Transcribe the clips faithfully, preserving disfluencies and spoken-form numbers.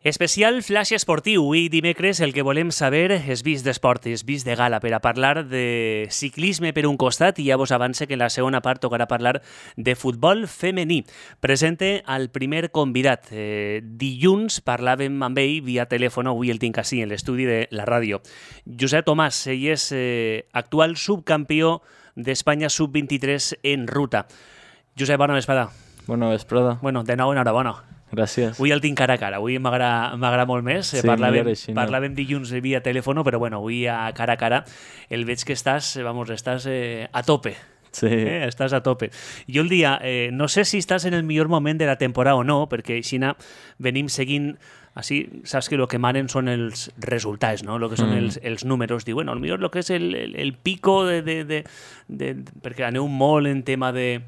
Especial flash esportiu. Avui dimecres el que volem saber és vist d'esport, és vist de gala per a parlar de ciclisme per un costat i ja vos avance que en la segona part tocarà parlar de futbol femení. Presente al primer convidat. Eh, dilluns parlàvem amb ell via telèfon, avui el tinc així en l'estudi de la ràdio. Josep Tomàs, ell és eh, actual subcampió d'Espanya sub vint-i-tres en ruta. Josep, bona vesprada. Bona vesprada. Bueno, de nou enhorabona. Gràcies. Avui el tinc cara a cara, avui m'agrada molt més. Sí, parlàvem, així, no? parlàvem dilluns via telèfon, però bueno, avui a cara a cara el veig que estàs, vamos, estàs eh, a tope. Sí. Eh? Estàs a tope. Jo el dia, eh, no sé si estàs en el millor moment de la temporada o no, perquè així venim seguint, així, saps que el que manen són els resultats, no? El que són mm. els, els números. Diu, bueno, potser el que és el, el, el pico de, de, de, de, de... perquè aneu molt en tema de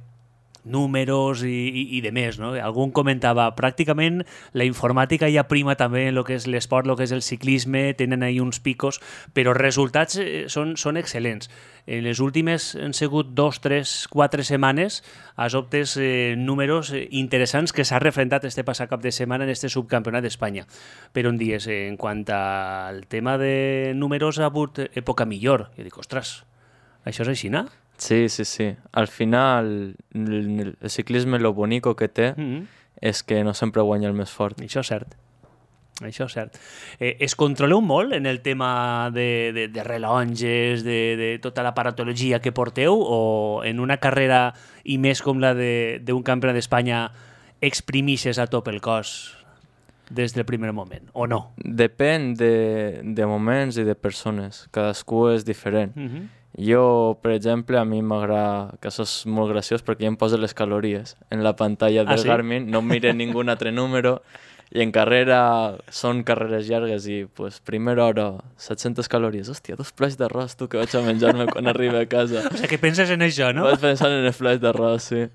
números i, i, i de més, no? Algun comentava, pràcticament la informàtica ja prima també en el que és l'esport, el que és el ciclisme, tenen ahí uns picos, però els resultats són, són excel·lents. En les últimes han sigut dos, tres, quatre setmanes has obtes eh, números interessants que s'ha refrendat este passat cap de setmana en este subcampionat d'Espanya. Però on dies, eh, en quant al tema de números ha hagut època millor. Jo dic, ostres, això és així, no? Sí, sí, sí. Al final, el, el ciclisme lo bonico que té mm-hmm. és que no sempre guanya el més fort. Això és cert. Això és cert. Eh, es controleu molt en el tema de, de, de relonges, de, de tota l'aparatologia que porteu, o en una carrera i més com la d'un campionat d'Espanya exprimixes a top el cos des del primer moment, o no? Depèn de, de moments i de persones. Cadascú és diferent. Mm-hmm. Jo, per exemple, a mi m'agrada, que això és molt graciós perquè ja em posa les calories en la pantalla del ah, sí? Garmin, no mire ningú altre número, i en carrera són carreres llargues i, pues, primera hora, set-centes calories. Hòstia, dos plats d'arròs, tu, que vaig a menjar-me quan arribi a casa. O sigui, que penses en això, no? Vaig pensant en els plats d'arròs, sí.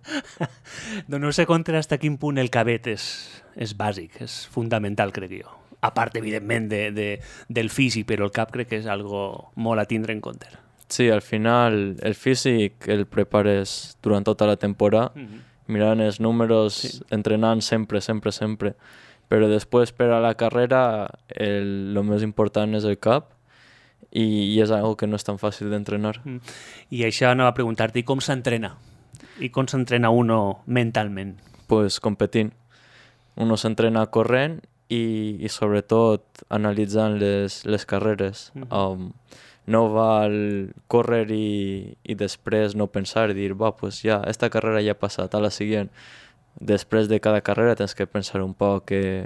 Doncs no sé contra hasta quin punt el cabet és, és bàsic, és fundamental, crec jo. A part, evidentment, de, de, del físic, però el cap crec que és algo molt a tindre en compte. Sí, al final el físic el prepares durant tota la temporada, mm-hmm. mirant els números, sí. entrenant sempre, sempre, sempre. Però després per a la carrera el, el més important és el cap i, i és algo que no és tan fàcil d'entrenar. Mm. I això anava a preguntar-te, com s'entrena? I com s'entrena uno mentalment? Pues competint. Uno s'entrena corrent i, i sobretot analitzant les, les carreres. Mm-hmm. Um, no val córrer i, i després no pensar i dir, va, pues ja, esta carrera ja ha passat, a la següent. Després de cada carrera tens que pensar un poc que,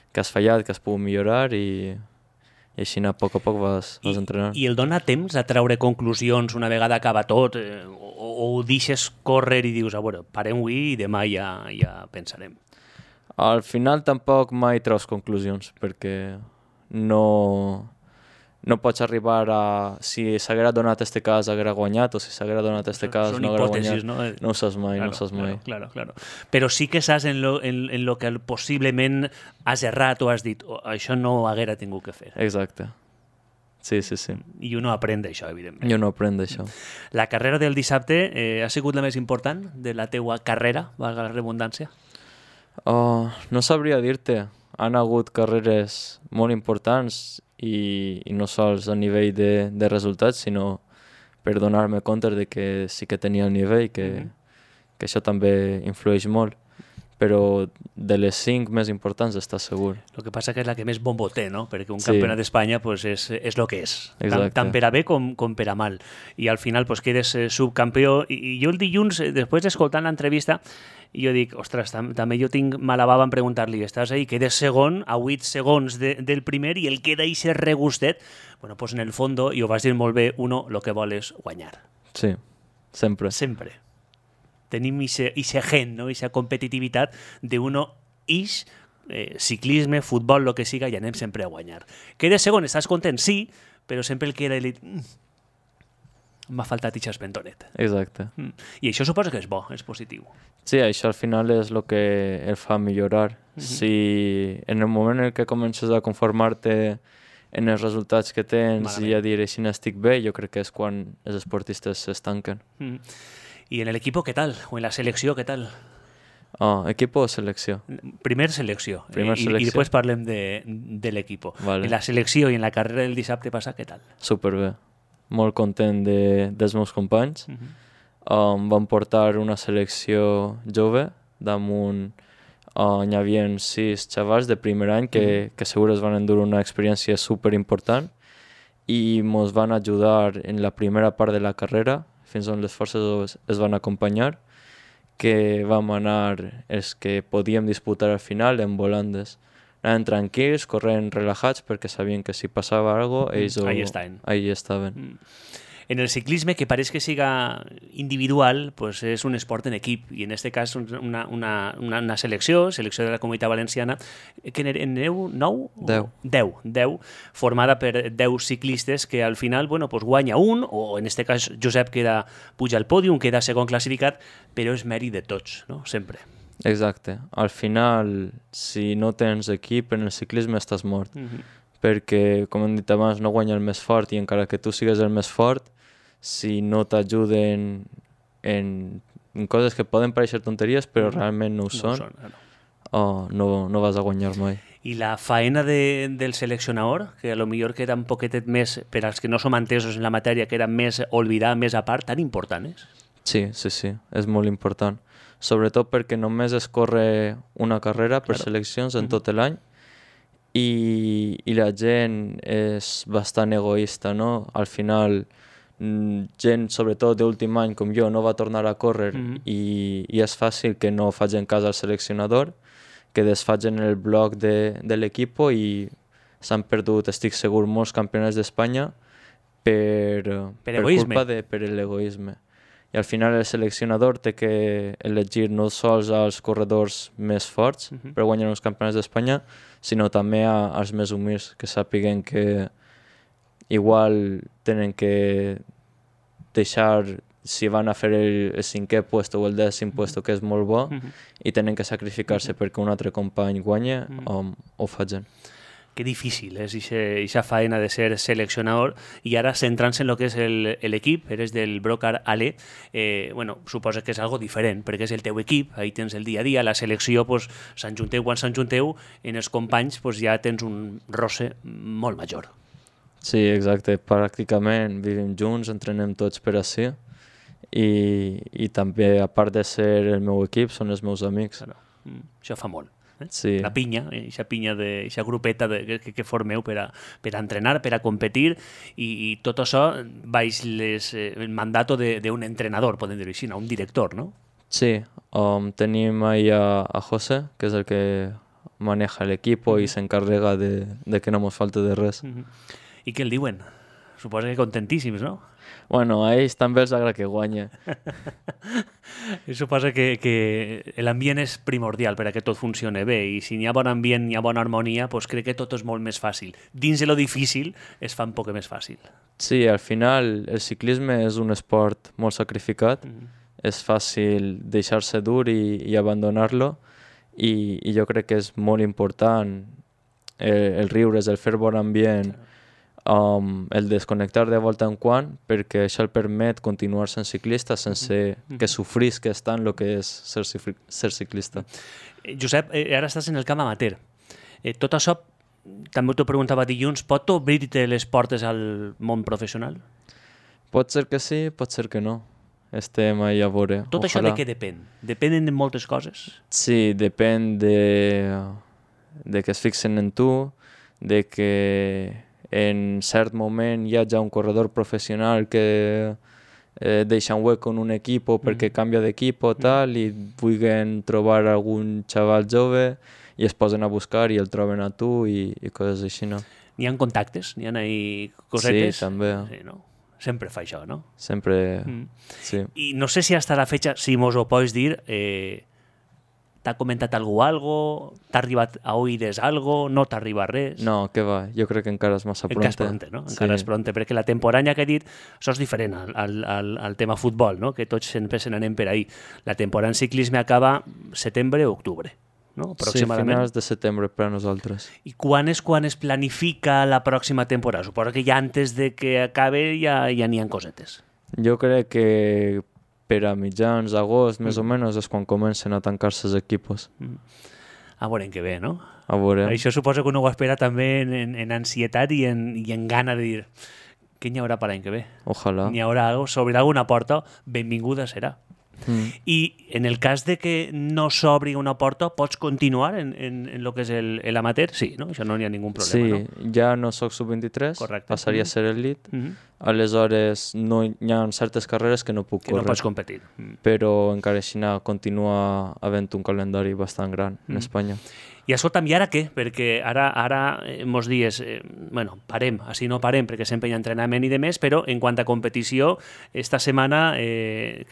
que has fallat, que has pogut millorar i, i així a poc a poc vas, vas I, entrenant. I el dona temps a treure conclusions una vegada acaba tot eh, o, o ho deixes córrer i dius, a veure, parem avui i demà ja, ja pensarem? Al final tampoc mai treus conclusions perquè no... no pots arribar a... Si s'haguera donat este cas, haguera guanyat, o si s'haguera donat este cas, Són no haguera guanyat. No? No ho saps mai, claro, no ho saps mai. Claro, claro, claro. Però sí que saps en lo, en, en lo que possiblement has errat o has dit, oh, això no ho haguera tingut que fer. Exacte. Sí, sí, sí. I uno aprèn d'això, evidentment. I uno aprèn d'això. La carrera del dissabte eh, ha sigut la més important de la teua carrera, valga la redundància? Oh, no sabria dir-te. Han hagut carreres molt importants i, i no sols a nivell de, de resultats, sinó per donar-me compte de que sí que tenia el nivell, que, mm-hmm. que això també influeix molt. Però de les cinc més importants està segur. El que passa que és la que més bombo té, no? Perquè un sí. campionat d'Espanya pues, és, és el que és, tant, tant per a bé com, com per a mal. I al final pues, quedes eh, subcampió. I, I jo el dilluns, eh, després d'escoltant l'entrevista, jo dic, ostres, tam també jo tinc mala bava en preguntar-li, estàs ahí, quedes segon, a vuit segons de, del primer i el queda eixe regustet. Bueno, pues en el fondo, i ho vas dir molt bé, uno lo que vol és guanyar. Sí, sempre. Sempre. Tenim ixe gen, no? Ixa competitivitat d'uno ix, eh, ciclisme, futbol, el que siga, i anem sempre a guanyar. Quedes segon, estàs content? Sí, però sempre el queda i mm, m'ha faltat ixa espentonet. Exacte. Mm. I això suposo que és bo, és positiu. Sí, això al final és el que el fa millorar. Mm-hmm. Si en el moment en què comences a conformar-te en els resultats que tens Malament. I a dir, així n'estic bé, jo crec que és quan els esportistes s'estanquen. Mm. I en l'equip, què tal? O en la selecció, què tal? Oh, equipo o selecció? Primer selecció. Primer I, selecció. I després parlem de, de l'equip. Vale. En la selecció i en la carrera del dissabte passa, què tal? Superbé. Molt content de, dels meus companys. Uh -huh. Um, vam portar una selecció jove, damunt uh, hi havia sis xavals de primer any que, que segur es van endur una experiència super important i ens van ajudar en la primera part de la carrera, fins on les forces es van acompanyar, que vam anar els que podíem disputar al final en volandes. Anaven tranquils, corrent relajats, perquè sabien que si passava alguna cosa, ells Ahí ho, estaven. ahí estaven. Mm. En el ciclisme, que pareix que siga individual, pues és un esport en equip, i en aquest cas una, una, una, una selecció, selecció de la Comunitat Valenciana, que en aneu nou? Deu. Deu, deu, formada per deu ciclistes que al final, bueno, pues guanya un, o en aquest cas Josep queda, puja al pòdium, queda segon classificat, però és mèrit de tots, no? Sempre. Exacte. Al final, si no tens equip en el ciclisme estàs mort. Mm-hmm. Perquè, com hem dit abans, no guanya el més fort i encara que tu sigues el més fort, si no t'ajuden en, en coses que poden pareixer tonteries però realment no ho No ho són, són, no. oh, no, no vas a guanyar mai. I la faena de, del seleccionador, que a lo millor queda un poquetet més, per als que no som entesos en la matèria, queda més oblidada, més a part, tan important és? Sí, sí, sí, és molt important. Sobretot perquè només es corre una carrera per Claro. seleccions en tot l'any i, i la gent és bastant egoista, no? Al final, mm, gent, sobretot d'últim any com jo, no va tornar a córrer Mhm. i, i és fàcil que no facin cas al seleccionador, que desfagin el bloc de, de l'equip i s'han perdut, estic segur, molts campionats d'Espanya per, per, egoisme. culpa de per l'egoisme. I al final el seleccionador té que elegir no sols als corredors més forts Mhm. per guanyar els campionats d'Espanya, sinó també a, als més humils, que sàpiguen que igual tenen que deixar, si van a fer el, el cinquè puesto o el dècim puesto, que és molt bo, Mhm. i tenen que sacrificar-se perquè un altre company guanya, Mhm. o ho facin. Que difícil és aquesta faena de ser seleccionador. I ara, centrant-se en el que és el- l'equip, eres del Brocar Ale, eh, bueno, suposa que és algo diferent, perquè és el teu equip, ahí tens el dia a dia, la selecció, pues, s'enjunteu quan s'enjunteu, en els companys pues, ja tens un roce molt major. Sí, exacte. Pràcticament vivim junts, entrenem tots per ací, i, i també, a part de ser el meu equip, són els meus amics. Claro. Mm, això fa molt. Eh? Sí. La pinya, aquesta pinya, aquesta grupeta de, que, que formeu per a, per a entrenar, per a competir, i, i tot això baix les, eh, el mandato d'un entrenador, podem dir-ho així, no? Un director, no? Sí, um, tenim ahí a, a José, que és el que maneja el equipo y se encarrega de, de que no nos falte de res. Mm -hmm. I què el diuen? Suposo que contentíssims, no? Bueno, a ells també els agrada que guanya. Suposa que, que l'ambient és primordial per a que tot funcione bé, i si hi ha bon ambient, hi ha bona harmonia, doncs crec que tot és molt més fàcil. Dins de lo difícil es fa un poc més fàcil. Sí, al final el ciclisme és un esport molt sacrificat, mm -hmm. és fàcil deixar-se dur i, i abandonar-lo, i, i jo crec que és molt important el, el riure, el fer bon ambient, um, el desconnectar de volta en quan, perquè això el permet continuar sent ciclista sense mm -hmm. que sofrisques tant el que és ser, ser ciclista. Eh, Josep, eh, ara estàs en el camp amateur. Eh, tot això, també t'ho preguntava dilluns, pot obrir-te les portes al món professional? Pot ser que sí, pot ser que no. Estem ahí a veure. Tot Ojalà. Això de què depèn? Depenen de moltes coses? Sí, depèn de, de que es fixen en tu, de que en cert moment hi ha ja un corredor professional que eh, deixa un hueco en un equip perquè mm. canvia d'equip o tal, mm. i vulguin trobar algun xaval jove i es posen a buscar i el troben a tu i, i coses així, no? N'hi ha contactes? N'hi ha ahí cosetes? Sí, també. Sí, no? Sempre fa això, no? Sempre, mm. sí. I no sé si hasta la fecha, si mos ho pots dir, eh, t'ha comentat algú algo? T'ha arribat a oïdes algo? No t'arriba res? No, què va, jo crec que encara és massa pronte. Encara és pronte, no? Encara sí. és pronte, perquè la temporada que he dit, això és diferent al, al, al, al tema futbol, no? Que tots sempre se n'anem per ahí. La temporada en ciclisme acaba setembre o octubre, no? Aproximadament. Sí, finals de setembre per a nosaltres. I quan és quan es planifica la pròxima temporada? Suposo que ja antes de que acabe ja ja n'hi ha cosetes. Jo crec que per a mitjans d'agost, més mm. o menys, és quan comencen a tancar-se els equipos. Mm. A veure en què ve, no? A veure. Això suposa que uno ho espera també en, en, en ansietat i en, i en gana de dir què n'hi haurà per l'any que ve. Ojalà. N'hi haurà algo, s'obrirà alguna porta, benvinguda serà. Mm. I en el cas de que no s'obri una porta, pots continuar en, en, en lo que és l'amateur? Sí, no? Això no hi ha ningú problema, sí, no? Sí, ja no soc sub vint-i-tres, correcte. Passaria mm. a ser elit, mm -hmm. aleshores no hi ha certes carreres que no puc que córrer. no pots competir. Mm. Però encara així continua havent un calendari bastant gran mm. en Espanya. I escolta'm, i ara què? Perquè ara, ara eh, mos dies, eh, bueno, parem, així no parem, perquè sempre hi ha entrenament i de més, però en quant a competició, esta setmana eh,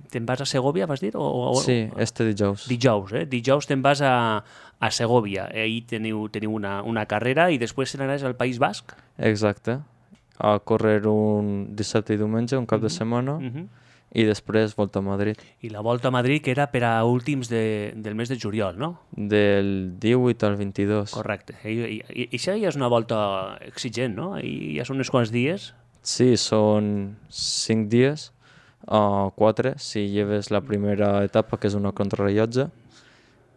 te'n vas a Segòvia, vas dir? O, o, sí, este dijous. Dijous, eh? Dijous te'n vas a, a Segòvia. Ahir teniu, teniu una, una carrera i després anaràs al País Basc? Exacte. A córrer un dissabte i diumenge, un cap mm -hmm. de setmana, mm -hmm. i després Volta a Madrid. I la Volta a Madrid que era per a últims de, del mes de juliol, no? Del divuit al vint-i-dos. Correcte. I, i, i això ja és una volta exigent, no? I ja són uns quants dies. Sí, són cinc dies, uh, quatre, si lleves la primera etapa, que és una contrarrellotge.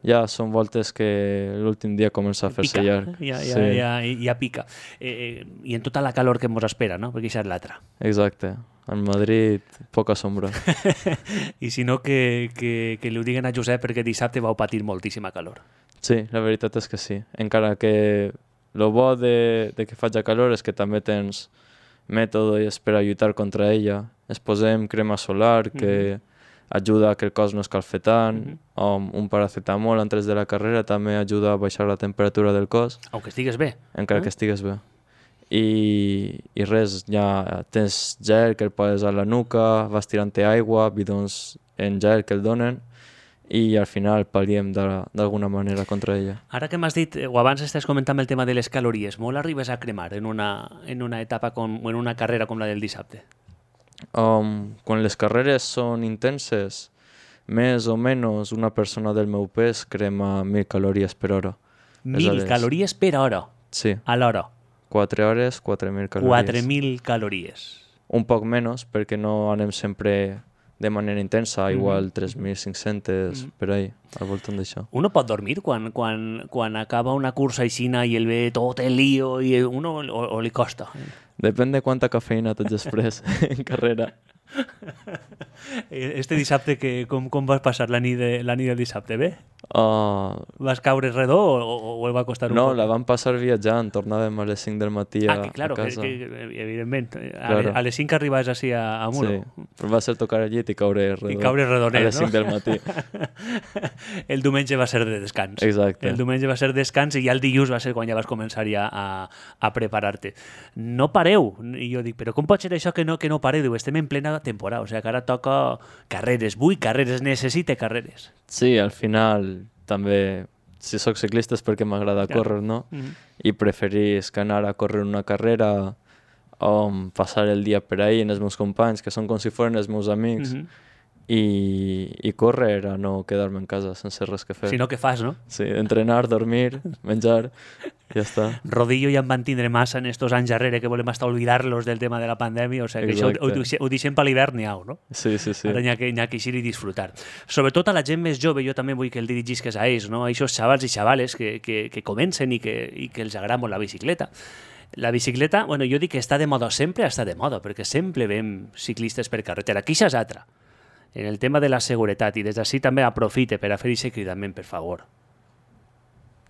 Ja són voltes que l'últim dia comença a fer-se llarg. Ja, ja, sí. ja, ja, ja pica. Eh, I en tota la calor que ens espera, no? Perquè això és l'altra. Exacte. En Madrid, poca sombra. I si no, que, que, que li ho diguen a Josep perquè dissabte vau patir moltíssima calor. Sí, la veritat és que sí. Encara que el bo de, de que faci calor és que també tens mètodes per a lluitar contra ella. Es posem crema solar que mm-hmm. ajuda a que el cos no escalfi tant. Mm-hmm. um, un paracetamol antes de la carrera també ajuda a baixar la temperatura del cos. Aunque estigues bé. Encara eh? que estigues bé. I, i res, ja tens gel que el poses a la nuca, vas tirant-te aigua, bidons en gel que el donen, i al final pal·liem d'alguna manera contra ella. Ara que m'has dit, o abans estàs comentant el tema de les calories, molt arribes a cremar en una, en una etapa com, o en una carrera com la del dissabte? Um, quan les carreres són intenses, més o menys una persona del meu pes crema mil calories per hora. Mil calories per hora? Sí. A l'hora? Quatre hores, quatre mil calories. Quatre mil calories. Un poc menys, perquè no anem sempre de manera intensa, igual mm-hmm. tres mil cinc-cents mm-hmm. per ahí, al voltant d'això. Uno pot dormir quan, quan, quan acaba una cursa aixina i el ve tot el lío i uno o, o li costa? Depèn de quanta cafeïna tens després en carrera. Este dissabte, que, com, com vas passar la nit, de, la nit del dissabte? Bé? Uh, Vas caure redó o, o el va costar un no, poc? No, la vam passar viatjant, tornàvem a les cinc del matí a, ah, que, claro, a casa. Que, que, evidentment. Claro. A, a les cinc arribaves així a, a Muro. Sí, però va ser tocar el llit i caure redó. I caure redonet, a les cinc no? del matí. El diumenge va ser de descans. Exacte. El diumenge va ser descans i ja el dilluns va ser quan ja vas començar ja a, a preparar-te. No pareu. I jo dic, però com pot ser això que no, que no pareu? Diu, estem en plena temporada, o sigui que ara toca carreres, vull carreres, necessite carreres. Sí, al final també, si sóc ciclista és perquè m'agrada claro. córrer, no? Mm-hmm. I preferís que anar a córrer una carrera o passar el dia per ahí amb els meus companys, que són com si foren els meus amics, mm-hmm. i, i córrer a no quedar-me en casa sense res que fer. Si no, què fas, no? Sí, entrenar, dormir, menjar, ja està. Rodillo ja en van tindre massa en estos anys darrere que volem hasta olvidar-los del tema de la pandèmia, o sigui que Exacte. això ho, ho, ho deixem per l'hivern n'hi ha, no? Sí, sí, sí. Ara n'hi ha que, ha que eixir i disfrutar. Sobretot a la gent més jove, jo també vull que el dirigisques a ells, no? A aquests xavals i xavales que, que, que comencen i que, i que els agrada molt la bicicleta. La bicicleta, bueno, jo dic que està de moda, sempre està de moda, perquè sempre veiem ciclistes per carretera. Aquí això és altra. En el tema de la seguretat, i des d'ací també aprofite per a fer aquest cridament, per favor.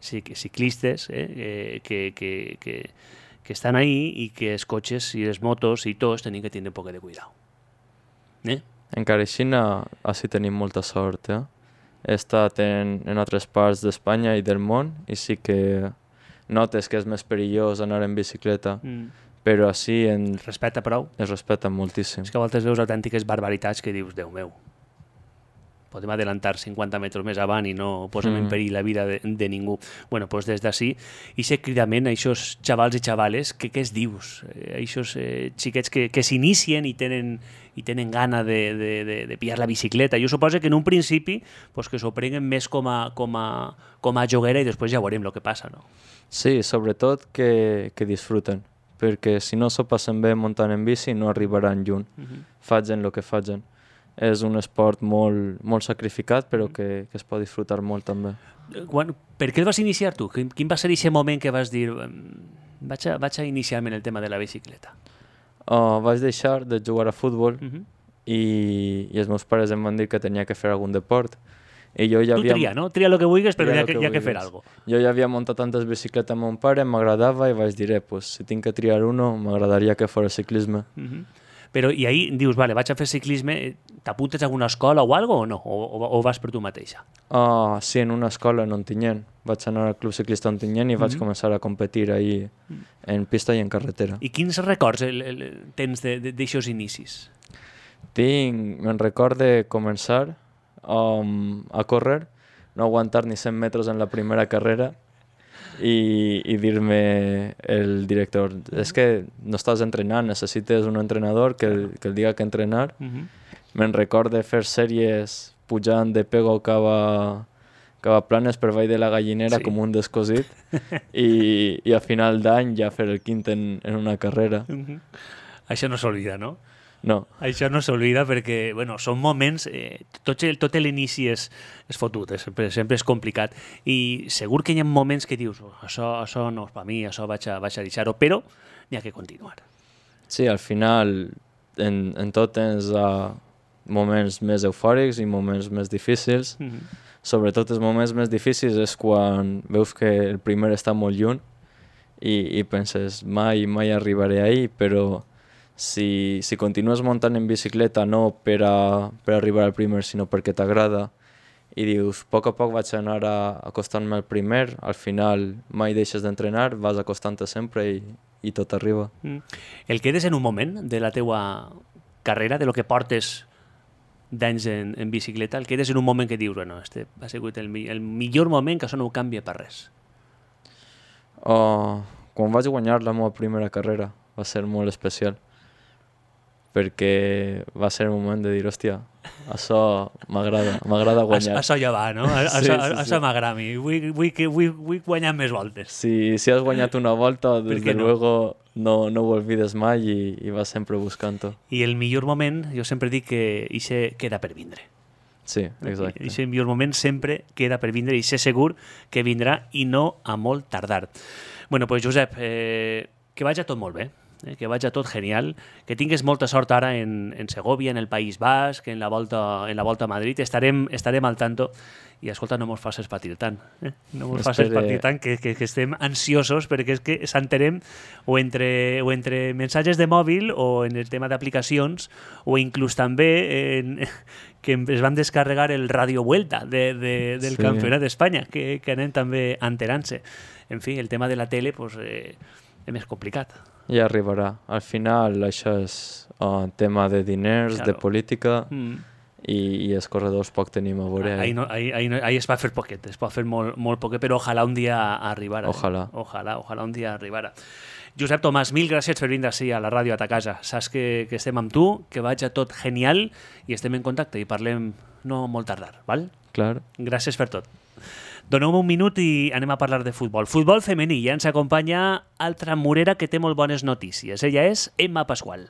Sí, que ciclistes eh, que, que, que, que estan ahí i que els cotxes i les motos i tots tenen que tenir un poc de cuidado. Eh? Encara així, així tenim molta sort. Eh? He estat en, en altres parts d'Espanya i del món i sí que notes que és més perillós anar en bicicleta. Mm. Però així en... Es respecta prou? Es respecta moltíssim. És que a voltes veus autèntiques barbaritats que dius, Déu meu, podem adelantar cinquanta metres més avant i no posem mm. en perill la vida de, de ningú. Bueno, doncs des d'ací, i sé cridament a aquests xavals i xavales, que què es dius? A aquests eh, xiquets que, que s'inicien i tenen, i tenen gana de, de, de, de pillar la bicicleta. Jo suposo que en un principi pues, que s'ho prenguen més com a, com, a, com a joguera i després ja veurem el que passa, no? Sí, sobretot que, que disfruten. Perquè si no s'ho passen bé muntant en bici no arribaran lluny, uh-huh. facin el que facin. és un esport molt, molt sacrificat, però que, que es pot disfrutar molt també. Quan, per què el vas iniciar tu? Quin, quin va ser aquest moment que vas dir vaig a, vaig a iniciar-me en el tema de la bicicleta? Uh, vaig deixar de jugar a futbol Uh -huh. i, i els meus pares em van dir que tenia que fer algun deport. I jo ja tu havia... tria, no? Tria el que vulguis, però Tria hi ha lo que, que hi ha que fer vulguis. alguna cosa. Jo ja havia muntat antes bicicleta amb mon pare, m'agradava i vaig dir, eh, pues, si tinc que triar uno, m'agradaria que fos ciclisme. Uh -huh. Però, i ahí dius, vale, vaig a fer ciclisme, t'apuntes a alguna escola o algo o no? O, o, o vas per tu mateixa? Uh, sí, en una escola en Ontinyent. Vaig anar al Club Ciclista Ontinyent i vaig Mhm. començar a competir ahí en pista i en carretera. I quins records el, el, tens d'aixòs inicis? Tinc, me'n record de començar um, a córrer, no aguantar ni cent metres en la primera carrera i, i dir-me el director, és que no estàs entrenant, necessites un entrenador que, el, que el diga que entrenar. Uh -huh. Me'n record de fer sèries pujant de pego cava, cava planes per baix de la gallinera Sí. com un descosit i, i a final d'any ja fer el quint en, en una carrera. Uh -huh. Això no s'oblida, no? No, Això no s'oblida perquè, bueno, són moments, eh, tot, el, tot l'inici és, és fotut, és, sempre, sempre és complicat i segur que hi ha moments que dius oh, això, això no és per mi, això vaig a, vaig a deixar-ho, però n'hi ha que continuar. sí, al final en, en tot tens uh, moments més eufòrics i moments més difícils. Uh -huh. Sobretot els moments més difícils és quan veus que el primer està molt lluny i, i penses mai, mai arribaré ahí, però si, si continues muntant en bicicleta no per, a, per arribar al primer, sinó perquè t'agrada i dius, a poc a poc vaig anar a, acostant-me al primer, al final mai deixes d'entrenar, vas acostant-te sempre i, i tot arriba. Mm. El quedes en un moment de la teua carrera, de lo que portes d'anys en, en bicicleta, el quedes en un moment que dius, bueno, este ha sigut el, mi- el millor moment que això no ho canvia per res. Oh, quan vaig guanyar la meva primera carrera va ser molt especial perquè va ser el moment de dir, hòstia, això m'agrada, m'agrada guanyar. Això ja va, no? A- Sí, Això, sí, això sí. m'agrada a mi. Vull, vull, que- vull, vull guanyar més voltes. Si, si has guanyat una volta, Per des què de no? luego no, no ho olvides mai i, i vas sempre buscant-ho. I el millor moment, jo sempre dic que ixe queda per vindre. Sí, exacte. I el millor moment sempre queda per vindre i sé segur que vindrà i no a molt tardar. Bueno, pues Josep, eh, que vagi tot molt bé, eh, que vagi tot genial, que tingues molta sort ara en, en Segovia, en el País Basc, en la volta, en la volta a Madrid, estarem, estarem al tanto i escolta, no mos facis patir tant, eh? no mos facis Espere. patir tant, que, que, que estem ansiosos perquè és que s'enterem o entre, o entre missatges de mòbil o en el tema d'aplicacions o inclús també en, que es van descarregar el Radio Vuelta de, de, del Sí. Campionat d'Espanya, que, que anem també enterant-se. En fi, el tema de la tele pues, eh, és més complicat. Ja arribarà. Al final això és uh, tema de diners, Claro. de política Mm. i, i els corredors poc tenim a veure. Ahí, no, ahí, ahí, no, ahí es va fer poquet, es pot fer molt, molt poquet, però ojalà un dia arribara. Ojalà. Eh? Ojalà, ojalà un dia arribara. Josep Tomàs, mil gràcies per vindre així a la ràdio a ta casa. Saps que, que estem amb tu, que vagi tot genial i estem en contacte i parlem no molt tardar, val? Clar. Gràcies per tot. Doneu-me un minut i anem a parlar de futbol. Futbol femení, ja ens acompanya altra murera que té molt bones notícies. Ella és Emma Pasqual.